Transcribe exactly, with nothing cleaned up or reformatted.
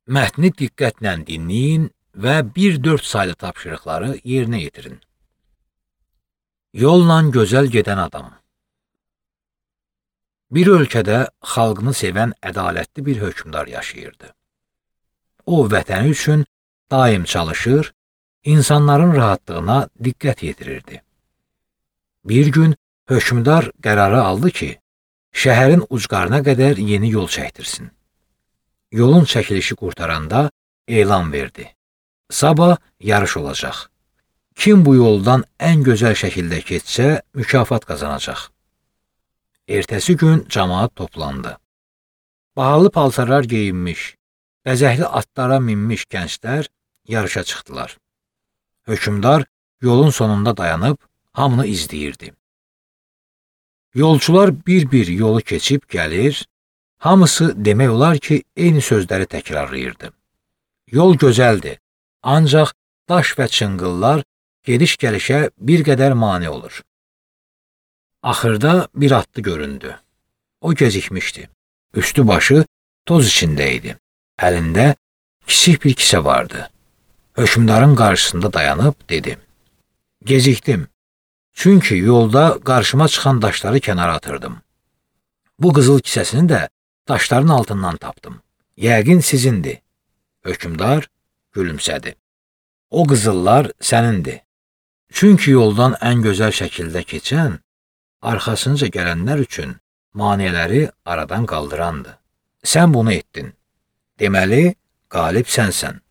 Mətni diqqətlə dinləyin və bir dörd saylı tapşırıqları yerinə yetirin. Yolla gözəl gedən adam. Bir ölkədə xalqını sevən ədalətli bir hökmdar yaşayırdı. O, vətəni üçün daim çalışır, insanların rahatlığına diqqət yetirirdi. Bir gün hökmdar qərarı aldı ki, şəhərin ucqarına qədər yeni yol çəkdirsin. Yolun çəkilişi qurtaranda elan verdi. Sabah yarış olacaq. Kim bu yoldan ən gözəl şəkildə keçsə, mükafat qazanacaq. Ertəsi gün cəmaət toplandı. Bahalı paltarlar geyinmiş, bəzəkli atlara minmiş gənclər yarışa çıxdılar. Hökmdar yolun sonunda dayanıb hamını izləyirdi. Yolçular bir-bir yolu keçib gəlir, hamısı demək olar ki, eyni sözləri təkrarlayırdı. Yol gözəldir, ancaq daş və çınqıllar gediş-gəlişə bir qədər mane olur. Axırda bir atlı göründü. O gecikmişdi. Üstü başı toz içində idi. Əlində kiçik bir kisə vardı. Hökmdarın qarşısında dayanıb dedi: "Gecikdim, çünki yolda qarşıma çıxan daşları kənara atırdım. Bu qızıl kisəsini də daşların altından tapdım. Yəqin sizindir." Hökmdar gülümsədi. "O qızıllar sənindir. Çünki yoldan ən gözəl şəkildə keçən, arxasınca gələnlər üçün maneələri aradan qaldırandır. Sən bunu etdin. Deməli, qalib sənsən."